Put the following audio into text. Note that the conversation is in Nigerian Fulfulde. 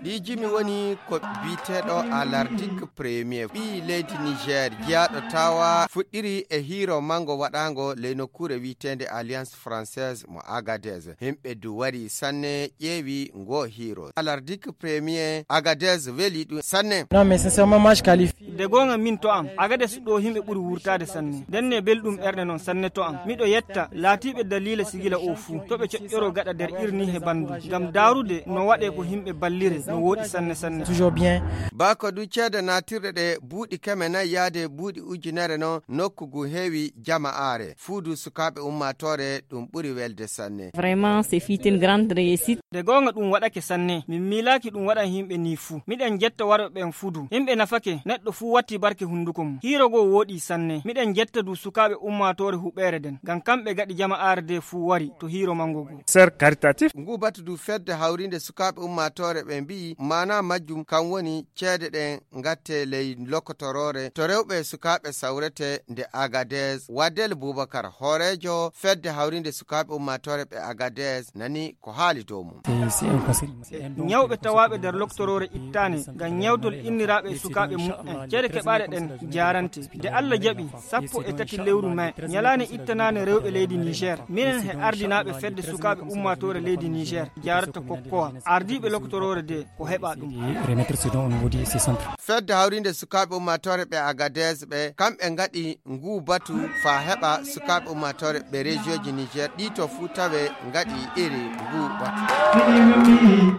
ɗi jimi woni ko biteɗo alardique premier ɓi leydi niger jeyaɗo tawa fuɗɗiri e hiro mango waɗango ley nokkure witende alliance française mo agadez. Himɓe du wari sanne ƴeewi ngo hiro alardique premier agadez weli ɗum sanne. Non mais sincèrement moi je qualifie de gonga min to am agadez ɗo himɓe ɓuri wurtade sanne denne belɗum ɓerde non sanne to am miɗo yetta laatiɓe dalila sigila o fuu to ɓe coƴƴoro gaɗa nder irni he bandu gam darude no waɗe ko himɓe ballire no woɗi sanne sanne toujours bien. Bako du ceede natirɗe ɗe buuɗi keme nayi yaade buuɗi ujunere no nokkugu heewi jama'are fuudu sukaɓe ummatore ɗum ɓuri welde sanne. Vraiment c'est fit une grande réussite. de gonga ɗum waɗake sanne min milaki ɗum waɗan himɓe ni fuu miɗen jetta warɓe ɓen fudu himɓe nafake neɗɗo fuu watti barke hunduko mum hiro go woɗi sanne miɗen jetta du sukaɓe ummatore huɓere den gam kamɓe gaɗi jama'are de fuu wari to hiro mango go Sœur caritatif ngu batu du fedde hawrinde sukaɓe ummatore ɓe mbi mana majjum kam woni ceede ɗen gatte ley lokotorore to rewɓe sukaɓe sawrete nde agadez. Wadel Boubacar horejo fedde hawrinde sukaɓe ummatore ɓe agadez nani ko haali dow mum. ñawɓe tawaɓe nder loktorore ittane gam ñawtol inniraɓe sukaɓe mu'en ceede keɓaɗe ɗen jarante de Allah jaɓi 13 lewru mai ñalane ittanane rewɓe leydi niger minen he ardinaɓe fedde sukaɓe ummatore leydi niger jarata kokkowa ardiɓe loktorore de ko heɓa ɗum fedde hawrinde sukaɓe ummatore ɓe agadez ɓe kamɓe gaɗi ngu batu fa heɓa sukaɓe ummatore ɓe région ji niger ɗi to fuu tawe gaɗi iri ngu batu.